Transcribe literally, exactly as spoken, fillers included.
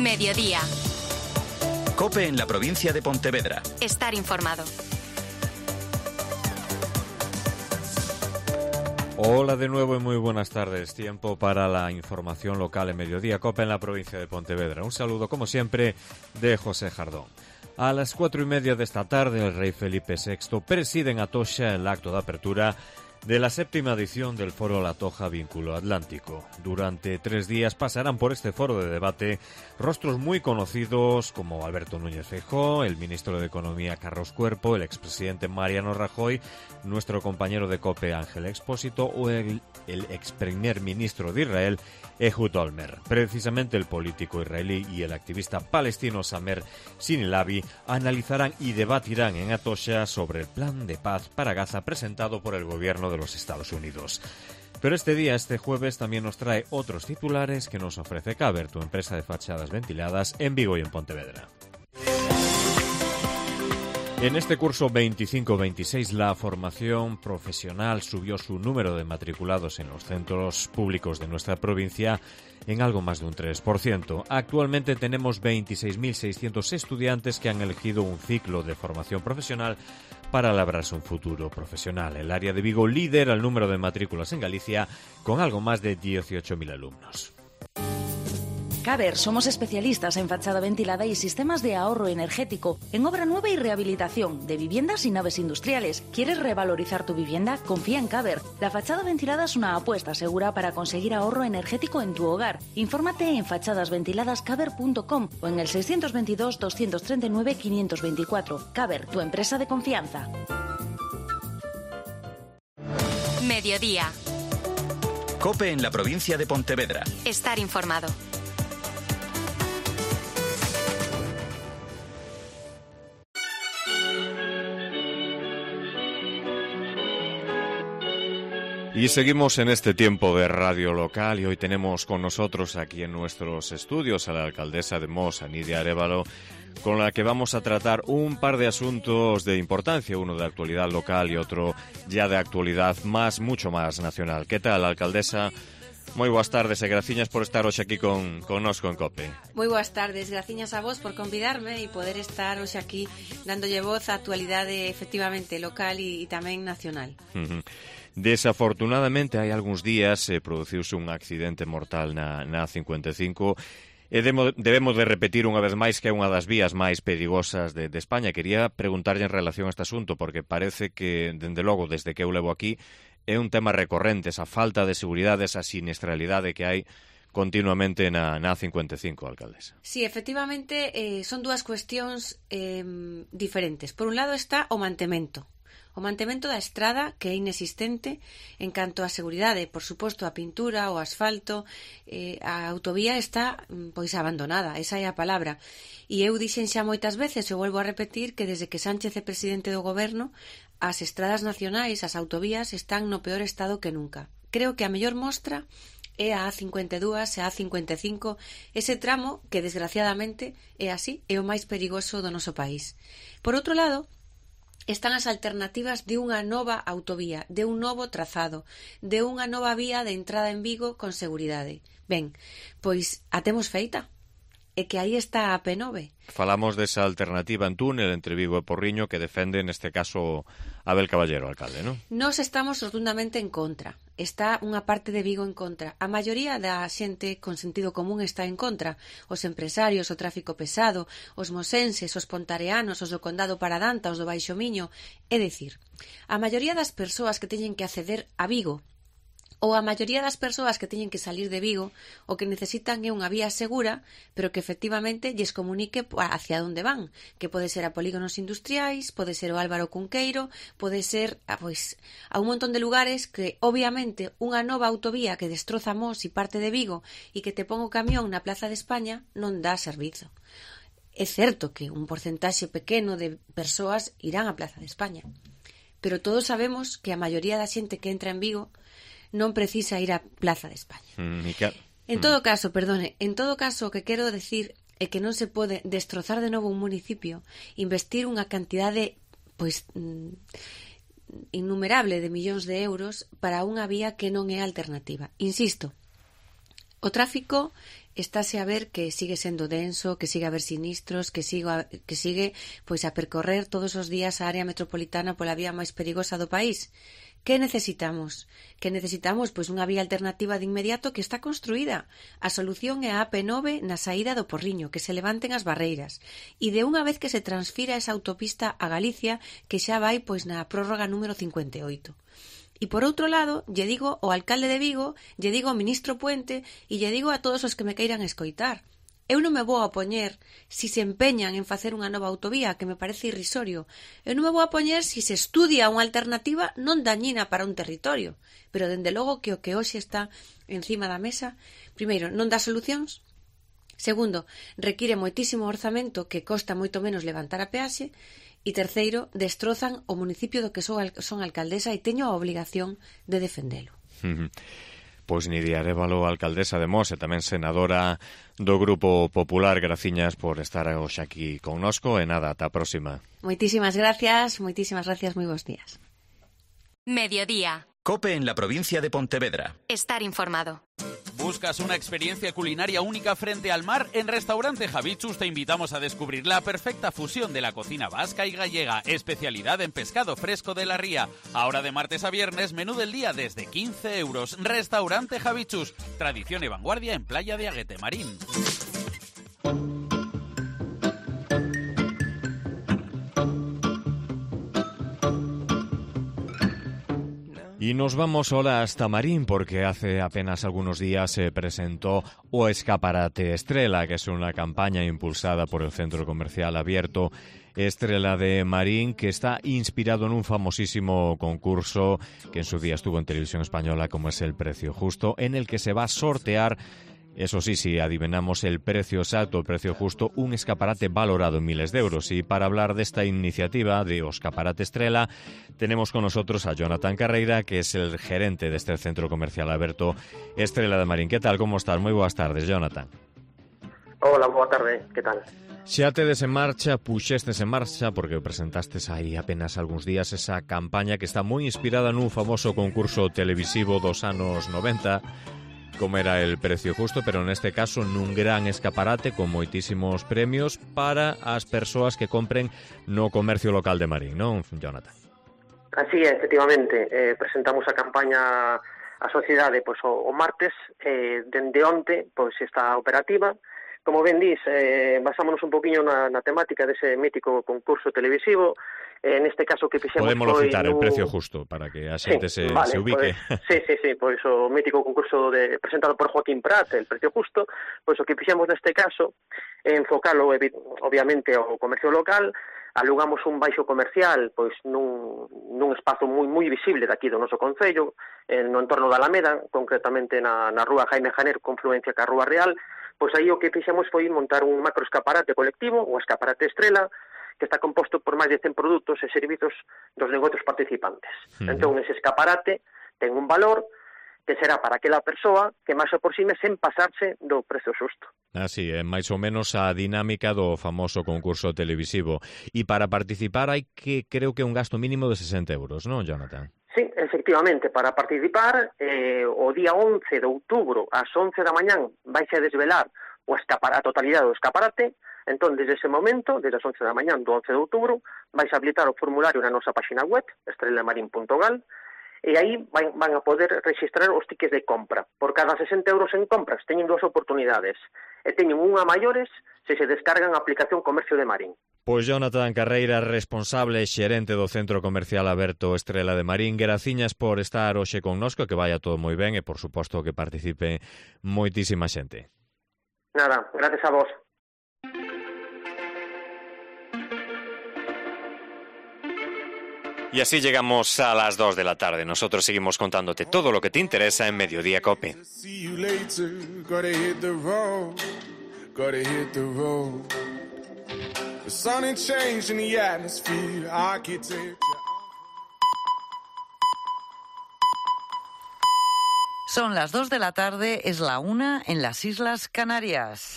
Mediodía. COPE en la provincia de Pontevedra. Estar informado. Hola de nuevo y muy buenas tardes. Tiempo para la información local en Mediodía. COPE en la provincia de Pontevedra. Un saludo, como siempre, de José Jardón. A las cuatro y media de esta tarde, el rey Felipe sexto preside en Atocha el acto de apertura de la séptima edición del Foro La Toja Vínculo Atlántico. Durante tres días pasarán por este foro de debate rostros muy conocidos como Alberto Núñez Feijóo, el ministro de Economía Carlos Cuerpo, el expresidente Mariano Rajoy, nuestro compañero de COPE Ángel Expósito o el, el ex primer ministro de Israel Ehud Olmert. Precisamente el político israelí y el activista palestino Samer Sinilavi analizarán y debatirán en Atocha sobre el plan de paz para Gaza presentado por el gobierno de los Estados Unidos. Pero este día, este jueves, también nos trae otros titulares que nos ofrece Caber, tu empresa de fachadas ventiladas en Vigo y en Pontevedra. En este curso veinticinco veintiséis, la formación profesional subió su número de matriculados en los centros públicos de nuestra provincia en algo más de un tres por ciento. Actualmente tenemos veintiséis mil seiscientos estudiantes que han elegido un ciclo de formación profesional para labrarse un futuro profesional. El área de Vigo lidera el número de matrículas en Galicia con algo más de dieciocho mil alumnos. Caber, somos especialistas en fachada ventilada y sistemas de ahorro energético, en obra nueva y rehabilitación de viviendas y naves industriales. ¿Quieres revalorizar tu vivienda? Confía en Caber. La fachada ventilada es una apuesta segura para conseguir ahorro energético en tu hogar. Infórmate en fachadas ventiladas caber punto com o en el seiscientos veintidós doscientos treinta y nueve quinientos veinticuatro. Caber, tu empresa de confianza. Mediodía. COPE en la provincia de Pontevedra. Estar informado. Y seguimos en este tiempo de radio local y hoy tenemos con nosotros aquí en nuestros estudios a la alcaldesa de Mos, a Nidia Arévalo, con la que vamos a tratar un par de asuntos de importancia, uno de actualidad local y otro ya de actualidad más, mucho más nacional. ¿Qué tal, alcaldesa? Moi boas tardes e graciñas por estar hoxe aquí con, con nos con COPE. Moi boas tardes, graciñas a vos por convidarme e poder estar hoxe aquí dándolle voz á actualidade efectivamente local e, e tamén nacional. Uh-huh. Desafortunadamente, hai algúns días eh, produciuse un accidente mortal na, na A cincuenta e cinco e demo, debemos de repetir unha vez máis que é unha das vías máis perigosas de, de España. Quería preguntarlle en relación a este asunto porque parece que, dende logo, desde que eu levo aquí, é un tema recorrente, esa falta de seguridade, esa siniestralidade que hai continuamente na, na A cincuenta e cinco, alcaldesa. Sí, efectivamente, eh, son dúas cuestións eh, diferentes. Por un lado está o mantemento. O mantemento da estrada, que é inexistente en canto á seguridade, por suposto, a pintura, o asfalto, eh, a autovía está pois abandonada, esa é a palabra. E eu dixen xa moitas veces, eu volvo a repetir, que desde que Sánchez é presidente do goberno, as estradas nacionais, as autovías, están no peor estado que nunca. Creo que a mellor mostra é a A cincuenta e dúas e a A cincuenta e cinco, ese tramo que, desgraciadamente, é así, é o máis perigoso do noso país. Por outro lado, están as alternativas de unha nova autovía, de un novo trazado, de unha nova vía de entrada en Vigo con seguridade. Ben, pois a temos feita. É que aí está a P nove. Falamos desa alternativa en túnel entre Vigo e Porriño que defende, neste caso, Abel Caballero, alcalde, non? Nós estamos rotundamente en contra. Está unha parte de Vigo en contra. A maioría da xente con sentido común está en contra. Os empresarios, o tráfico pesado, os mosenses, os pontareanos, os do Condado Paradanta, os do Baixo Miño. É dicir, a maioría das persoas que teñen que acceder a Vigo ou a maioría das persoas que teñen que salir de Vigo o que necesitan é unha vía segura, pero que efectivamente lles comunique hacia onde van, que pode ser a polígonos industriais, pode ser o Álvaro Cunqueiro, pode ser a, pois, a un montón de lugares que, obviamente, unha nova autovía que destroza Mos e parte de Vigo e que te pon o camión na Plaza de España non dá servizo. É certo que un porcentaxe pequeno de persoas irán á Plaza de España, pero todos sabemos que a maioría da xente que entra en Vigo non precisa ir á Plaza de España. Mm, que... En todo caso, perdone, en todo caso o que quero decir é que non se pode destrozar de novo un municipio, investir unha cantidade pois innumerable de millóns de euros para unha vía que non é alternativa. Insisto, O tráfico estáse a ver que sigue sendo denso, que sigue a haber sinistros, que sigue a, que sigue pois a percorrer todos os días a área metropolitana pola vía máis perigosa do país. Que necesitamos? Que necesitamos pois unha vía alternativa de inmediato que está construída. A solución é a A P nove na saída do Porriño, que se levanten as barreiras. E de unha vez que se transfira esa autopista a Galicia, que xa vai pois na prórroga número cincuenta e oito. E por outro lado, lle digo ao alcalde de Vigo, lle digo ao ministro Puente e lle digo a todos os que me queiran escoitar. Eu non me vou a poñer si se empeñan en facer unha nova autovía, que me parece irrisorio. Eu non me vou a poñer si se estudia unha alternativa non dañina para un territorio. Pero, dende logo, que o que hoxe está encima da mesa, primeiro, non dá solucións. Segundo, require moitísimo orzamento que costa moito menos levantar a peaxe. E terceiro, destrozan o municipio do que son, son alcaldesa e teño a obligación de defendelo. Pois Nidia Arévalo, alcaldesa de Mos e tamén senadora do Grupo Popular. Graciñas por estar hoxe aquí connosco e nada, ata a próxima. Moitísimas gracias, moitísimas gracias, moi bons días. Mediodía. COPE en la provincia de Pontevedra. Estar informado. ¿Buscas una experiencia culinaria única frente al mar? En Restaurante Javichus te invitamos a descubrir la perfecta fusión de la cocina vasca y gallega, especialidad en pescado fresco de la ría. Ahora de martes a viernes, menú del día desde quince euros. Restaurante Javichus, tradición y vanguardia en Playa de Aguete Marín. Y nos vamos ahora hasta Marín porque hace apenas algunos días se presentó o Escaparate Estrela, que es una campaña impulsada por el Centro Comercial Abierto Estrela de Marín, que está inspirado en un famosísimo concurso que en su día estuvo en Televisión Española, como es El Precio Justo, en el que se va a sortear, eso sí, si adivinamos el precio exacto, el precio justo, un escaparate valorado en miles de euros. Y para hablar de esta iniciativa de Escaparate Estrela, tenemos con nosotros a Jonathan Carreira, que es el gerente de este Centro Comercial Abierto Estrela de Marín. ¿Qué tal? ¿Cómo estás? Moi boas tardes, Jonathan. Hola, boa tarde. ¿Qué tal? Xa tedes en marcha, puxestes en marcha, porque presentastes aí apenas algúns días esa campaña que está moi inspirada nun famoso concurso televisivo dos anos noventa, como era El Precio Justo, pero neste caso nun gran escaparate con moitísimos premios para as persoas que compren no comercio local de Marín, non, Jonathan? Así é, efectivamente, eh, presentamos a campaña á sociedade pois, o, o martes, eh, dende onte pois, está operativa. Como ben dís, eh, basámonos un poquinho na, na temática dese mítico concurso televisivo. Eh, neste caso que fixemos Podemos foi citar no... El Precio Justo para que a xente sí, se, vale, se ubique. Pues, sí, sí, sí, pois o mítico concurso de, presentado por Joaquín Prat, El Precio Justo, pois o que fixemos neste caso é enfocalo obviamente ao comercio local. Alugamos un baixo comercial pois nun, nun espazo moi moi visible daqui do noso concello, no entorno da Alameda, concretamente na, na rúa Jaime Janer, confluencia ca Rúa Real. Pois aí o que fixemos foi montar un macro escaparate colectivo, o Escaparate Estrela, que está composto por máis de cen produtos e servizos dos negocios participantes. Uh-huh. Entón, ese escaparate ten un valor que será para aquela persoa que máis aproxime sen pasarse do prezo xusto. Así, é máis ou menos a dinámica do famoso concurso televisivo. E para participar hai que, creo que un gasto mínimo de sesenta euros, non, Jonathan? Sí, efectivamente, para participar, eh, o día once de outubro, ás once da mañán, vaise a desvelar o escaparate, a totalidade do escaparate. Entón, desde ese momento, desde as once da mañán do once de outubro, vais a habilitar o formulario na nosa página web, estrelamarín punto gal, e aí van, van a poder registrar os tickets de compra. Por cada sesenta euros en compras teñen dúas oportunidades, e teñen unha a maiores se se descargan a aplicación Comercio de Marín. Pois Jonathan Carreira, responsable e xerente do Centro Comercial Aberto Estrela de Marín, graciñas por estar hoxe connosco, que vaya todo moi ben e, por suposto, que participe moitísima xente. Nada, gracias a vos. Y así llegamos a las dos de la tarde. Nosotros seguimos contándote todo lo que te interesa en Mediodía COPE. Son las dos de la tarde, es la una en las Islas Canarias.